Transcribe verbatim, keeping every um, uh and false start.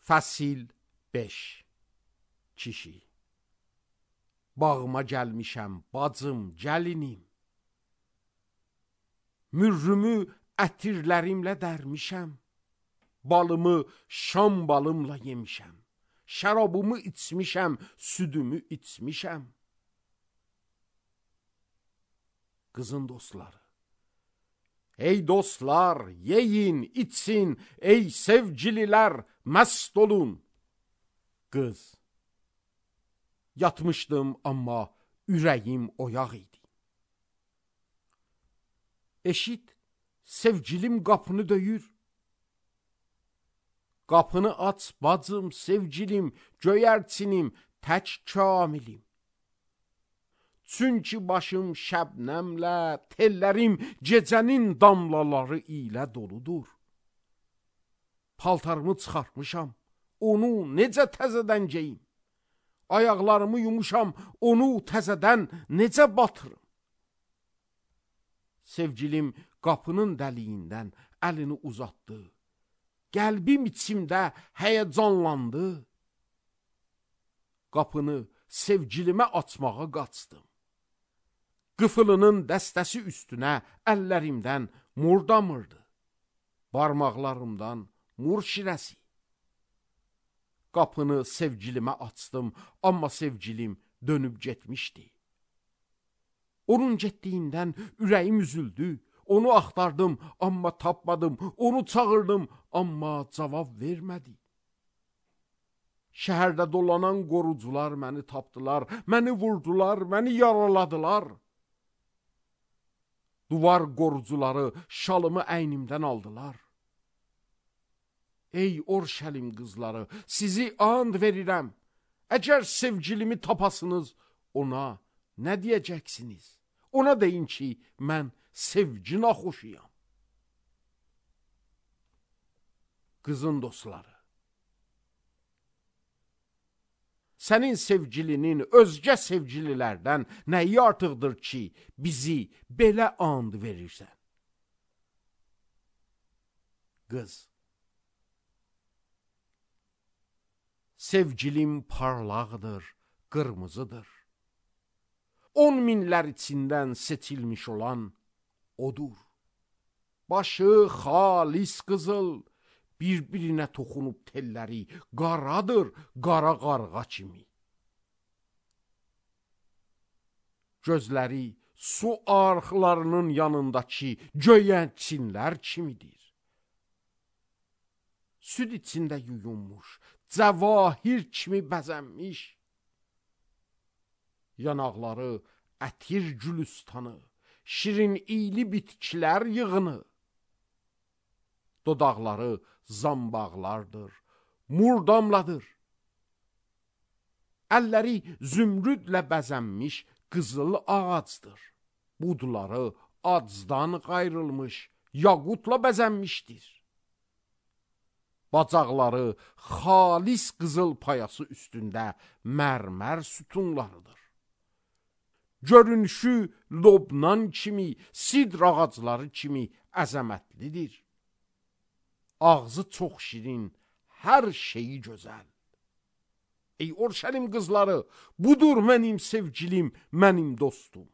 Fəsil beş. Kişi. Bağıma gəlmişəm, bacım, gəlinim. Mürrümü ətirlərimlə dərmişəm. Balımı şam balımla yemişəm. Şərabımı içmişəm, südümü içmişəm. Qızın dostları. Ey dostlar, yeyin, içsin, ey sevgililər, məst olun. Qız. Yatmışdım, amma ürəyim oyaq idi. Eşit, sevgilim qapını döyür. Qapını aç, bacım, sevgilim, göyərçinim, tək kamilim. Çünki başım şəbnəmlə, tellərim gecənin damlaları ilə doludur. Paltarımı çıxartmışam, onu necə təzədən geyim? Ayaqlarımı yumuşam, onu təzədən necə batırım? Sevgilim qapının dəliyindən əlini uzatdı. Qəlbim içimdə həyəcanlandı. Qapını sevgilimə açmağa qaçdım. Qıfılının dəstəsi üstünə əllərimdən mur damırdı. Barmaqlarımdan mur şirəsi. Qapını sevgilimə açdım, amma sevgilim dönüb getmişdi. Onun getdiyindən ürəyim üzüldü. Onu axtardım, amma tapmadım. Onu çağırdım, amma cavab vermədi. Şəhərdə dolanan qorucular məni tapdılar, məni vurdular, məni yaraladılar. Duvar qorucuları şalımı əynimdən aldılar. Ey Orşəlim qızları, sizi and verirəm. Əgər sevgilimi tapasınız, ona nə deyəcəksiniz? Ona deyin ki, mən sevgi naxoşuyam. Qızın dostları. Sənin sevgilinin özgə sevgililərdən nəyi artıqdır ki, bizi belə and verirsən? Qız. Sevgilim parlaqdır, qırmızıdır. On minlər içindən seçilmiş olan odur. Başı xalis qızıl, bir-birinə toxunub telləri qaradır, qara qarğa kimi. Gözləri su arxlarının yanındakı göyənçinlər kimidir. Süd içində yuyunmuş, cəvahir kimi bəzənmiş. Yanaqları ətir gülüstanı, şirin iyli bitkilər yığını. Dodaqları zambaqlardır, murdamladır. Əlləri zümrüdlə bəzənmiş qızıl ağacdır. Budları acdan qayrılmış, yaqutla bəzənmişdir. Bacaqları xalis qızıl payası üstündə mərmər sütunlarıdır. Görünüşü Lobnan kimi, sidr ağacları kimi əzəmətlidir. Ağzı çox şirin, hər şeyi gözəl. Ey Orşəlim qızları, budur mənim sevgilim, mənim dostum.